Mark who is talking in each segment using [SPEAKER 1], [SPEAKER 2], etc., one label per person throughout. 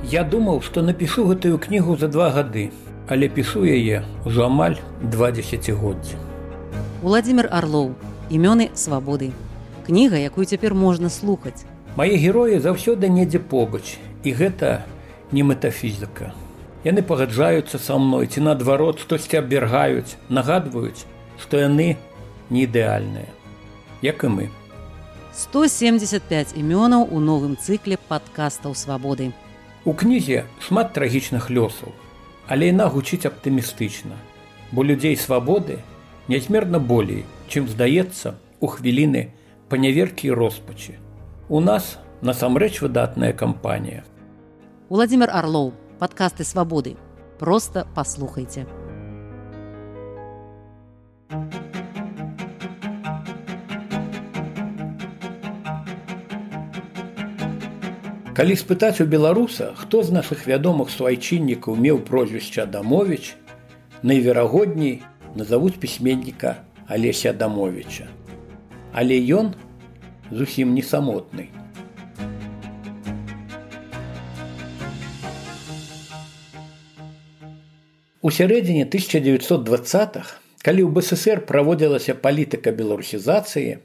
[SPEAKER 1] Я думаў, што напішу гэтую кнігу за 2 гады, але пішу яе ўжо амаль 2 дзесяцігоддзі.
[SPEAKER 2] Уладзімір Арлоў. Імёны свабоды. Кніга, якую цяпер можна слухаць.
[SPEAKER 1] Мае героі заўсёды недзе побач, і гэта не метафізіка. Яны пагаджаюцца са мной ці наадварот штосьці абвяргаюць, нагадваюць, што яны не ідэальныя, як і мы.
[SPEAKER 2] 175 імёнаў у новым цыкле падкастаў свабоды.
[SPEAKER 1] У кнізе шмат трагічных лёсаў, але яна гучыць аптымістычна, бо людзей свабоды нязмерна болей, чым здаецца у хвіліны паняверкі і роспачы. У нас насамрэч выдатная кампанія.
[SPEAKER 2] Уладзімір Арлоў. Падкасты свабоды. Проста паслухайце.
[SPEAKER 1] Калі спытаць у беларуса, хто з нашых вядомых суайчыннікаў меў прозвішча Адамовіч, найверагодней назавуць пісьменніка Алеся Адамовіча. Але ён зусім не самотны. У сярэдзіне 1920-х, калі ў БССР праводзілася палітыка беларусізацыі,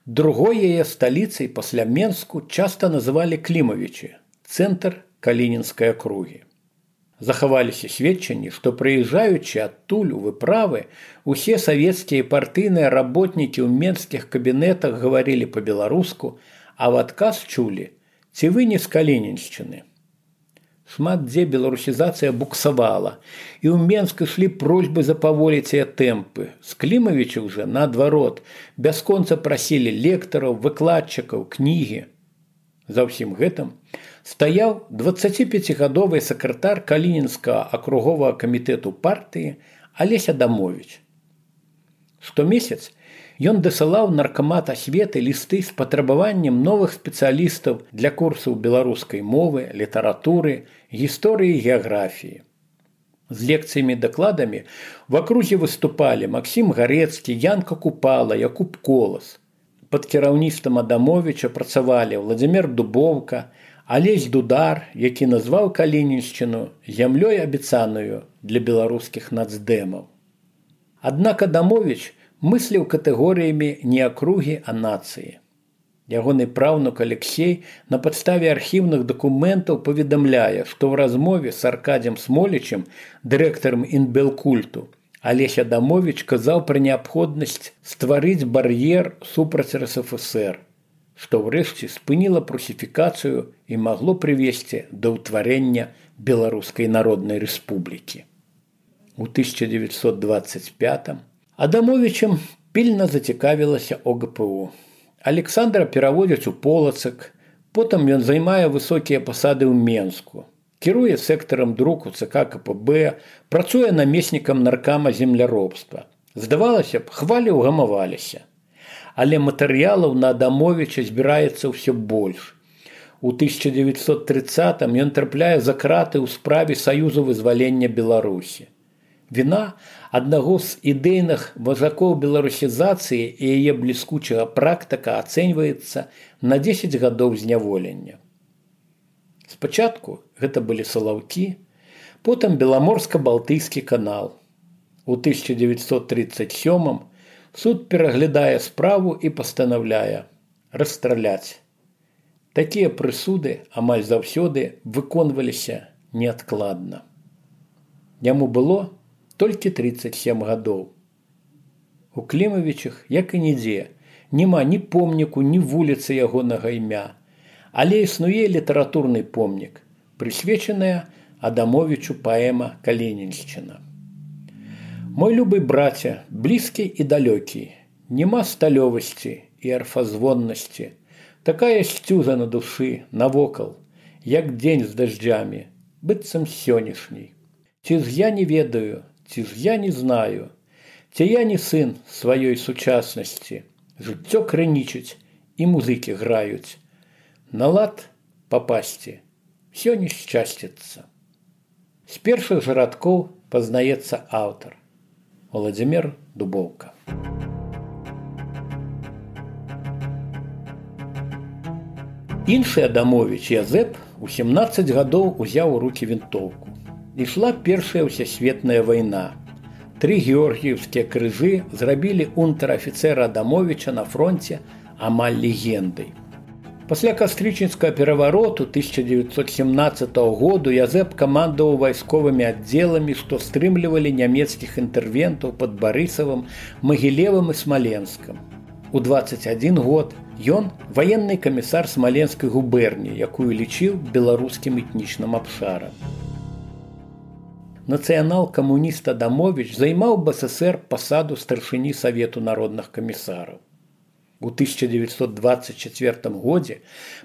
[SPEAKER 1] другой яе сталіцай пасля Менску часта называлі Клімавічы, цэнтр Калінінскай акругі. Захаваліся сведчанні, што прыязджаючы адтуль у выправы, усе савецкія партыйныя работнікі ў менскіх кабінетах гаварылі па-беларуску, а ў адказ чулі: «Ці вы не з Калініншчыны?» Шмат дзе беларусізацыя буксавала, і ў Менск ішлі просьбы запаволіць яе тэмпы. З Клімавіча ўжо, наадварот, бясконца прасілі лектараў, выкладчыкаў, кнігі. За ўсім гэтым стаяў 25гадовы сакратар Калінінскага акруговага камітэту партыі Алесь Адамовіч. Штомесяц ён дасылаў наркамат асветы лісты з патрабаваннем новых спецыялістаў для курсаў беларускай мовы, літаратуры, гісторыі і геаграфіі. З лекцыямі-дакладамі в акрузе выступалі Максім Гарэцкі, Янка Купала, Якуб Колас. Пад кіраўніцтвам Адамовіча працавалі Владзімір Дубоўка, Алесь Дудар, які назваў Калініншчыну зямлёй абяцаную для беларускіх нацдэмаў. Аднак Адамовіч мысліў катэгорыямі не акругі, а нацыі. Ягоны праўнук Алексей на падставе архіўных дакументаў паведамляе, што ў размове з Аркадзем Смолічым, дырэктарам Інбелкульту, Алесь Адамовіч казаў пра неабходнасць стварыць бар'ер супраць РСФСР, што ўрэшце спыніла прусіфікацыю і магло прывесці да ўтварэння Беларускай Народнай Рэспублікі. У 1925 Адамовічам пільна зацікавілася ОГПУ. Александра пераводзяць у Полацак, потым ён займае высокія пасады ў Менску, кіруе сектарам друку ЦК КПБ, працуе намеснікам наркама земляробства. Здавалася б, хвалі ўгамаваліся. Але матэрыялаў на Адамовіча збіраецца ўсё больш. У 1930-м ён трапляе за краты ў справе Саюзу вызвалення Беларусі. Віна аднаго з ідэйных важакоў беларусізацыі і яе бліскучага практыка ацэньваецца на 10 гадоў зняволення. Спачатку гэта былі Салаўкі, потым Беламорска-Балтыйскі канал. У 1937-м суд пераглядае справу і пастанаўляе расстраляць. Такія прысуды амаль заўсёды выконваліся неадкладна. Яму было толькі 37 гадоў. У Клімавічах, як і нідзе, няма ні помніку, ні вуліцы ягонага імя, але існуе літаратурны помнік, прысвечаная Адамовічу паэма «Калініншчына». Мой любы браце, блізкі і далёкі, няма сталёвасці і арфазвоннасці, такая сцюза на душы, навокал, як дзень з дажджамі, быццам сённяшняй. Ці ж я не ведаю, ці ж я не знаю, ці я не сын сваёй сучаснасці, жыццё крынічыць і музыкі граюць. На лад папасці, всё не шчасціцца. З першых жа радкоў пазнаецца аўтар Владзімір Дубоўка. Іншы Адамовіч Язэп у 17 гадоў узяў у рукі вінтоўку. Ішла першая ўсесветная вайна. 3 георгіеўскія крыжы зрабілі унтэр-афіцэра Адамовіча на фронце амаль легендай. Пасля кастрычніцкага перавароту 1917 году Язэп камандаваў вайсковымі аддзеламі, што стрымлівалі нямецкіх інтэрвентаў пад Барысавым, Магілевым і Смаленскам. У 21 год ён ваенны камісар Смаленскай губерніі, якую лічыў беларускім этнічным абшарам. Нацыянал-камуніст Адамовіч займаў БССР пасаду старшыні Савету народных камісараў. У 1924 годзе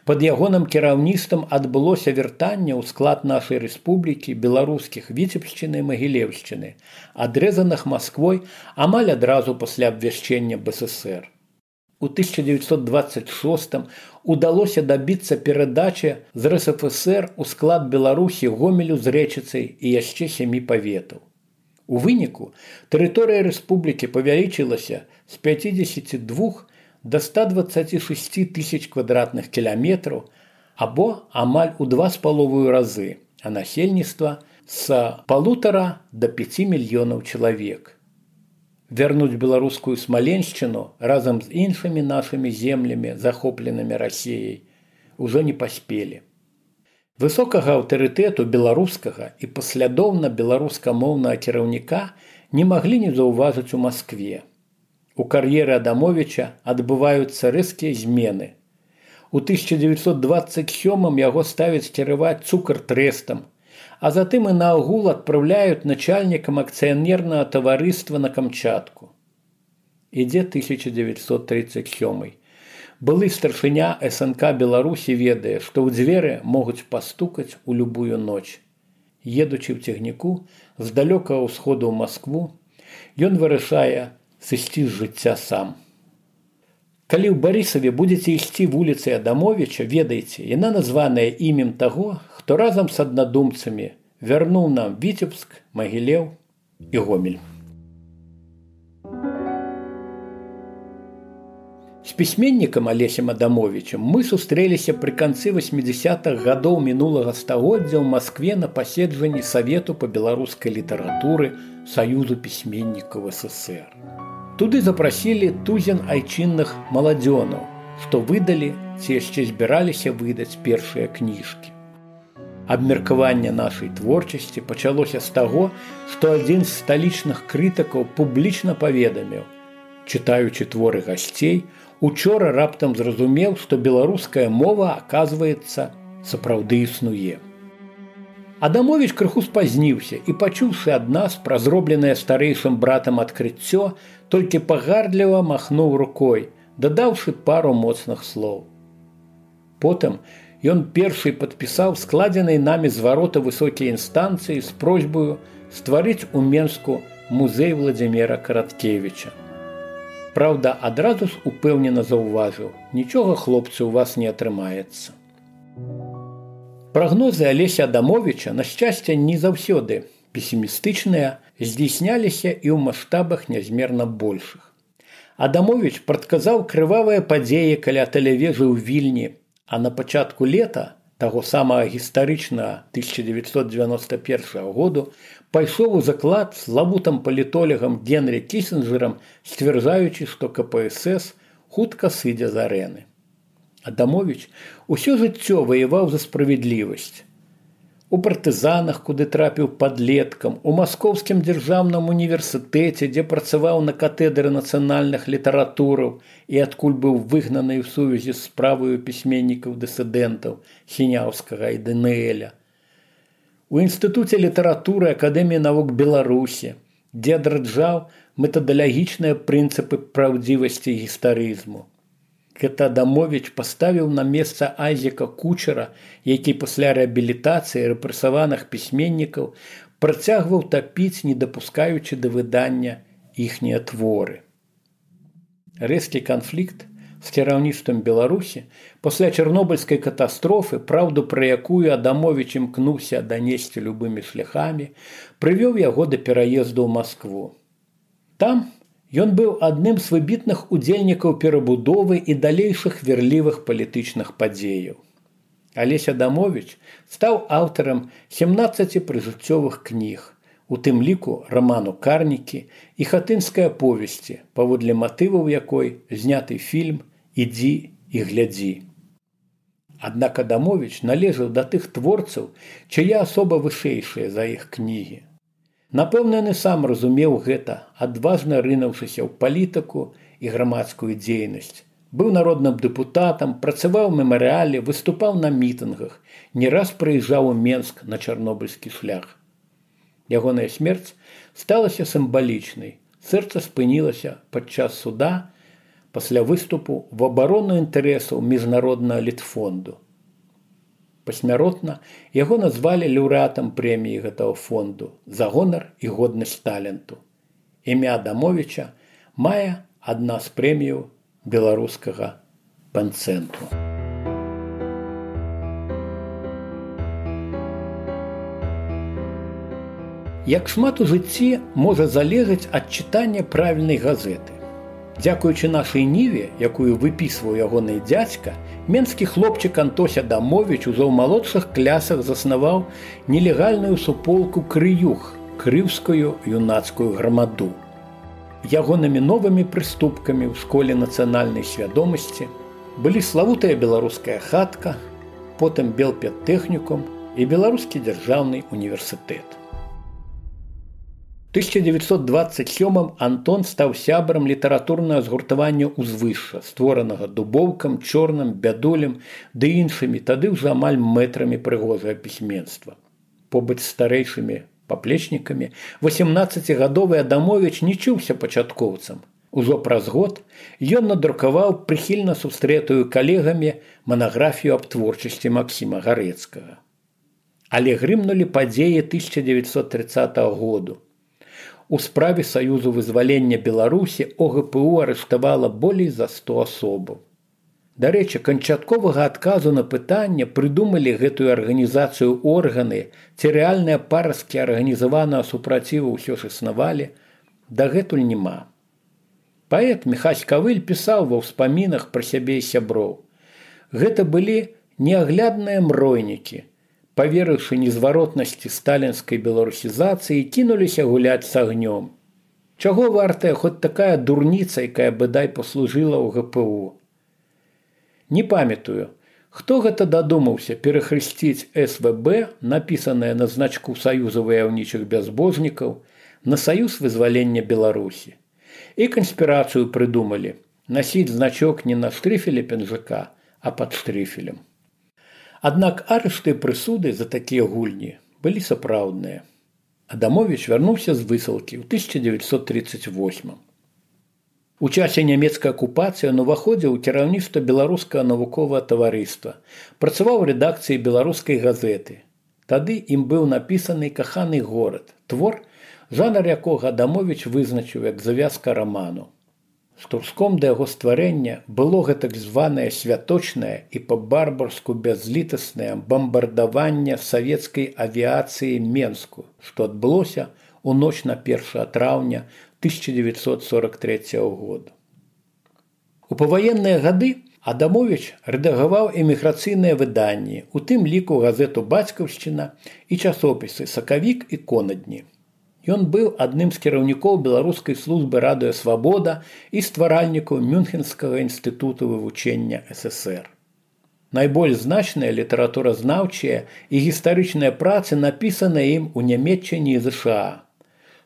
[SPEAKER 1] пад ягоным кіраўніцтвам адбылося вяртанне ў склад нашай рэспублікі беларускіх Віцебшчыны і Магілеўшчыны, адрэзаных Масквой амаль адразу пасля абвяшчэння БССР. У 1926 удалося дабіцца перадачы з РСФСР у склад Беларусі Гомелю з Рэчыцай і яшчэ 7 паветаў. У выніку тэрыторыя рэспублікі павялічылася з 52 до 126 тысяч квадратных кіламетраў або амаль у 2,5 разы, а насельніцтва з 1,5 до 5 мільёнаў чалавек. Вярнуць беларускую Смаленшчыну разам з іншымі нашымі землямі, захопленымі Расіяй, ужо не паспелі. Высокага аўтарытэту беларускага і паслядоўна беларускамоўнага кіраўніка не маглі не заўважыць у Маскве. У кар'еры Адамовіча адбываюцца рэзкія змены. У 1927 яго ставяць кіраваць цукар-трэстам, а затым і наогул адпраўляюць начальнікам акцыянернага таварыства на Камчатку. Ідзе 1937. Былы старшыня СНК Беларусі ведае, што ў дзверы могуць пастукаць у любую ноч. Едучы ў цягніку з далёкага ўсходу ў Маскву, ён вырашае сысці з жыцця сам. Калі ў Барысаве будзеце ісці вуліцай Адамовіча, ведайце, яна названая імем таго, хто разам з аднадумцамі вярнуў нам Віцебск, Магілеў і Гомель. З пісьменнікам Алесем Адамовічам мы сустрэліся пры канцы 80-х гадоў мінулага стагоддзя ў Маскве на паседжанні Савету па беларускай літаратуры Саюзу пісьменнікаў СССР. Туды запрасілі тузін айчынных маладзёнаў, што выдалі ці яшчэ збіраліся выдаць першыя кніжкі. Абмеркаванне нашай творчасці пачалося з таго, што адзін з сталічных крытыкаў публічна паведаміў: чытаючы творы гасцей, учора раптам зразумеў, што беларуская мова, аказваецца, сапраўды існуе. Адамовіч крыху спазніўся і, пачуўшы ад нас пра зробленае старэйшым братам адкрыццё, толькі пагардліва махнуў рукой, дадаўшы пару моцных слоў. Потым ён першы падпісаў складзенай намі зварота высокай інстанцыі з просьбаю стварыць у Менску музей Владзіміра Караткевіча. Праўда, адразу ж упэўнена заўважыў: нічога, хлопцы, у вас не атрымаецца. Прагнозы Алеся Адамовіча, на шчасце, не заўсёды песімістычныя, здзейсняліся і ў маштабах нязмерна большых. Адамовіч прадказаў крывавыя падзеі каля тэлевежы ў Вільні, а на пачатку лета таго самага гістарычнага 1991 году пайшоў у заклад славутым палітолагам Генрі Кісінджэрам, сцвярджаючы, што КПСС хутка сыдзе з арэны. Адамовіч усё жыццё ваяваў за справядлівасць. У партызанах, куды трапіў падлеткам, у Маскоўскім дзяржаўным універсітэце, дзе працаваў на катедры нацыянальных літаратураў і адкуль быў выгнаны ў сувязі з справаю пісьменнікаў-дысідэнтаў Сіняўскага і ДНЛ. У інстытуце літаратуры Акадэміі навук Беларусі, дзе адраджаў метадалагічныя прынцыпы праўдзівасці і гістарызму. Гэта Адамовіч паставіў на месца Айзека Кучера, які пасля рэабілітацыі рэпрэсаваных пісьменнікаў працягваў тапіць, не дапускаючы да выдання іхнія творы. Рэзкі канфлікт з кіраўніцтвам Беларусі пасля чарнобыльскай катастрофы, праўду пра якую Адамовіч імкнуўся данесці любымі шляхамі, прывёў яго да пераезду ў Маскву. Там ён быў адным з выбітных удзельнікаў перабудовы і далейшых верлівых палітычных падзеяў. Алесь Адамович стаў аўтарам 17 прыжыццёвых кніг, у тым ліку раману «Карнікі» і хатынскай аповесці, паводле матываў якой зняты фільм «Ідзі і глядзі». Аднак Адамович належаў да тых творцаў, чыя асоба вышэйшая за іх кнігі. Напэўна, ён і сам разумеў гэта, адважна рынуўшыся ў палітыку і грамадскую дзейнасць. Быў народным дэпутатам, працаваў у мемарыяле, выступаў на мітынгах, не раз прыязджаў у Менск на чарнобыльскі шлях. Ягоная смерць сталася сімвалічнай. Сэрца спынілася падчас суда пасля выступу в абарону інтарэсаў міжнароднага літфонду. Пасмяротна яго назвалі лаўрэатам прэміі гэтага фонду за гонар і годнасць таленту. Імя Адамовича мае адна з прэміяў беларускага панцэнтру. Як шмат у жыцці можа залежаць ад чытання правільнай газеты. Дзякуючы нашай ніве, якую выпісваў ягоны дзядзька, менскі хлопчык Антось Адамович ужо ў малодшых клясах заснаваў нелегальную суполку «Крыюх» – крыўскую юнацкую грамаду. Ягонымі новымі прыступкамі ў школе нацыянальнай свядомасці былі славутая беларуская хатка, потым Белпедтэхнікум і Беларускі дзяржаўны універсітэт. У 1927 Антон стаў сябрам літаратурнага згуртавання «Узвышша», створанага Дубоўкам, Чорным, Бядулем ды іншымі тады ўжо амаль мэтрамі прыгожага пісьменства. Побач з старэйшымі паплечнікамі 18-гадовы Адамович не чуўся пачаткоўцам. Ужо праз год ён надрукаваў прыхільна сустрэтую калегамі манаграфію аб творчасці Максіма Гарэцкага. Але грымнулі падзеі 1930 году. У справе Саюзу вызвалення Беларусі ОГПУ арыштавала болей за 100 асобаў. Дарэчы, канчатковага адказу на пытанне, прыдумалі гэтую арганізацыю органы, ці рэальныя парасткі арганізаванага супраціву ўсё ж існавалі, дагэтуль няма. Паэт Міхась Кавыль пісаў ва ўспамінах пра сябе і сяброў. Гэта былі неаглядныя мройнікі, паверыўшы незваротнасці сталінскай беларусізацыі, кінуліся гуляць з агнём. Чаго вартая хоць такая дурніца, якая быдай паслужыла ў ГПУ? Не памятаю, хто гэта дадумаўся перахрысціць СВБ, напісанае на значку Саюза ваяўнічых бязбожнікаў, на Саюз вызвалення Беларусі. І канспірацыю прыдумалі насіць значок не на штрыфеле пінжака, а пад штрыфелем. Аднак арышты і прысуды за такія гульні былі сапраўдныя. Адамович вярнуўся з высылкі ў 1938. У часе нямецкай акупацыі ён уваходзіў у кіраўніцтва беларускага навуковага таварыства, працаваў у рэдакцыі беларускай газеты. Тады ім быў напісаны «Каханы горад», твор, жанр якога Адамович вызначыў як завязка раману. Штурском да яго стварэння было гэтак званае святочнае і па-барбарску бязлітаснае бамбардаванне савецкай авіяцыі Менску, што адбылося ў ноч на 1 траўня 1943 года. У паваенныя гады Адамович рэдагаваў эміграцыйныя выданні, у тым ліку газету «Бацькаўшчына» і часопісы «Сакавік» і «Конадні». Ён быў адным з кіраўнікоў беларускай службы радыё «Свабода» і стваральнікаў Мюнхенскага інстытуту вывучэння ССР. Найбольш значныя літаратуразнаўчыя і гістарычныя працы напісаныя ім у Нямецчыне і ЗША.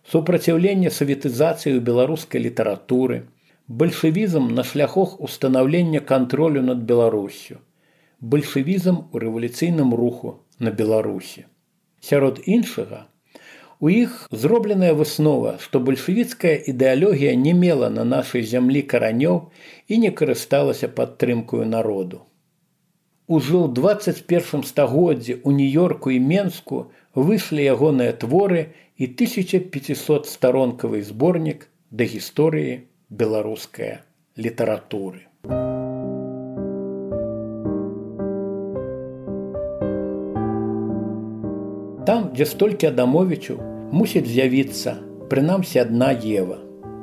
[SPEAKER 1] Супраціўленне саветызацыі ў беларускай літаратуры, бальшавізм на шляхах устанаўлення кантролю над Беларуссю, бальшавізм у рэвалюцыйным руху на Беларусі. Сярод іншага, у іх зробленая выснова, што бальшавіцкая ідэалогія не мела на нашай зямлі каранёў і не карысталася падтрымкаю народу. Ужо ў 21 стагоддзі ў Нью-Йорку і Менску выйшлі ягоныя творы і 1500-старонкавы зборнік да гісторыі беларускай літаратуры. Там, дзе столькі Адамовічаў, мусіць з'явіцца, прынамсі, адна Ева.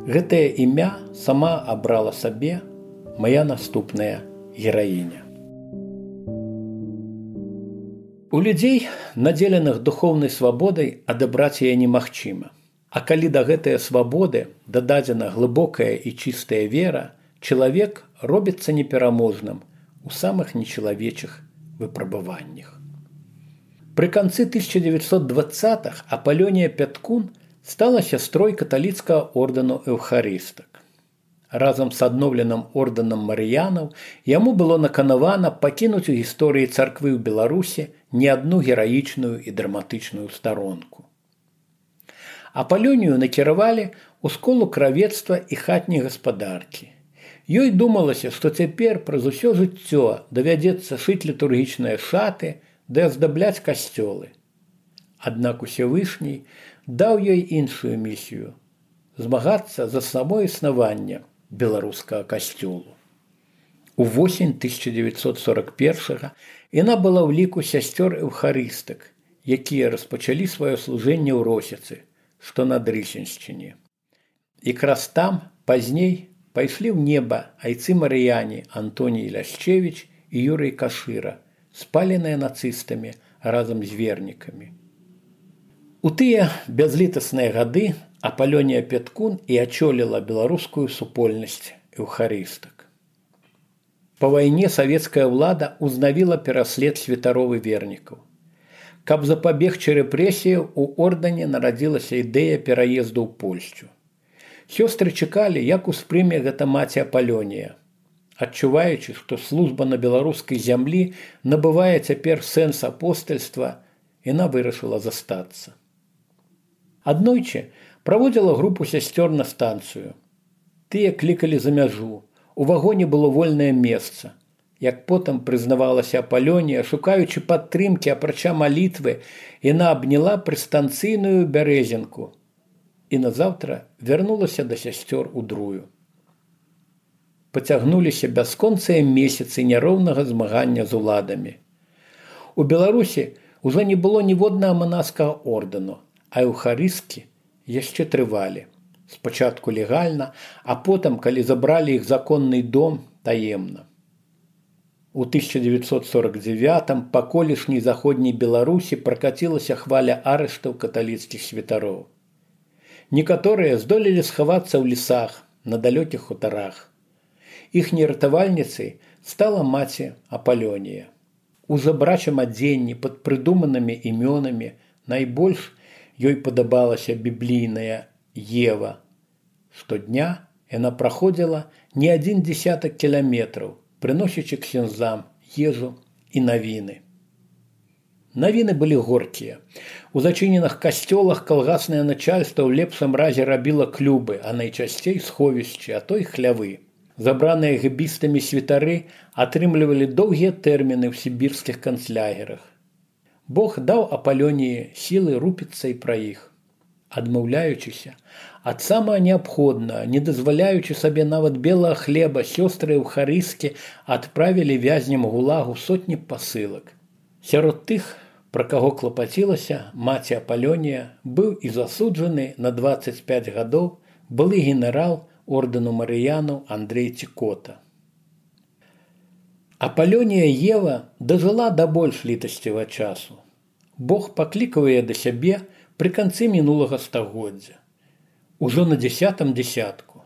[SPEAKER 1] Гэтае імя сама абрала сабе мая наступная гераіня. У людзей, надзеленых духоўнай свабодай, адабраць яе немагчыма. А калі да гэтыя свабоды дададзена глыбокая і чыстая вера, чалавек робіцца непераможным у самых нечалавечых выпрабаваннях. Пры канцы 1920-х Апалёнія Пяткун стала сястрой каталіцкага ордэну эўхарыстак. Разам з адноўленым ордэнам марыянаў яму было наканавана пакінуць у гісторыі царквы ў Беларусі не адну гераічную і драматычную старонку. Апалёнію накіравалі ў школу кравецтва і хатняй гаспадаркі. Ёй думалася, што цяпер праз усё жыццё давядзецца шыць літургічныя шаты ды аздабляць касцёлы. Аднак Усевышні даў ёй іншую місію – змагацца за само існаванне беларускага касцёлу. Увосень 1941-го яна была ў ліку сясцёр эўхарыстак, якія распачалі сваё служэнне ў Росіцы, што на Дрысеншчыне. Якраз там пазней пайшлі ў неба айцы-марыяне Антоній Ляшчевіч і Юрый Кашыра, спаленыя нацыстамі разам з вернікамі. У тыя бязлітасныя гады Апалёнія Пяткун і ачоліла беларускую супольнасць эўхарыстак. Па вайне савецкая ўлада ўзнавіла пераслед святароў і вернікаў. Каб запабегчы рэпрэсіяў, у ордэне нарадзілася ідэя пераезду ў Польшчу. Сёстры чакалі, як успрыме гэта маці Апалёнія. Адчуваючы, што служба на беларускай зямлі набывае цяпер сэнс апостальства, яна вырашыла застацца. Аднойчы праводзіла групу сясцёр на станцыю. Тыя клікалі за мяжу. У вагоне было вольнае месца. Як потым прызнавалася Апалёнія, шукаючы падтрымкі, апрача малітвы, яна абняла прыстанцыйную бярэзінку і назаўтра вярнулася да сясцёр у Друю. Пацягнуліся бясконцыя месяцы няроўнага змагання з уладамі. У Беларусі ўжо не было ніводнага манаскага ордэну, а эўхарысткі яшчэ трывалі. Спачатку легальна, а потым, калі забралі іх законны дом, таемна. У 1949-м па колішняй заходняй Беларусі пракацілася хваля арыштаў каталіцкіх святароў. Некаторыя здолелі схавацца ў лесах, на далёкіх хутарах. Іхняй ратавальніцай стала маці Апалёнія. У жабрачым адзенні пад прыдуманымі імёнамі найбольш ёй падабалася біблійная Ева. Штодня яна праходзіла не 10 кіламетраў, прыносячы ксяндзам ежу і навіны. Навіны былі горкія. У зачыненых касцёлах калгаснае начальства ў лепшым разе рабіла клубы, а найчасцей сховішчы, а то і хлявы. Забраныя гэбістамі святары атрымлівалі доўгія тэрміны ў сібірскіх канцлягерах. Бог даў Апалёніі сілы рупіцца і пра іх. Адмаўляючыся ад самага неабходнага, не дазваляючы сабе нават белага хлеба, сёстры эўхарысткі адправілі вязням гулагу сотні пасылак. Сярод тых, пра каго клапацілася маці Апалёнія, быў і засуджаны на 25 гадоў былы генерал ордэну марыянаў Андрэй Цікота. Апалёнія Ева дажыла да больш літасцівага часу. Бог паклікаў яе да сябе пры канцы мінулага стагоддзя. Ужо на 10-м дзясятку.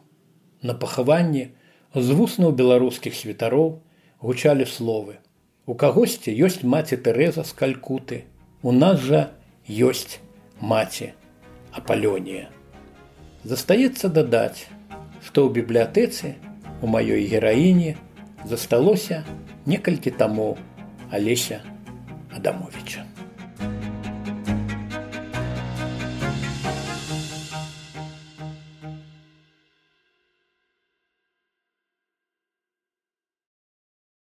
[SPEAKER 1] На пахаванні з вуснаў беларускіх святароў гучалі словы: «У кагосьці ёсць маці Тэрэза з Калькуты, у нас жа ёсць маці Апалёнія». Застаецца дадаць, што ў бібліятэцы у маёй гераіні засталося некалькі тамоў Алеся Адамовіча.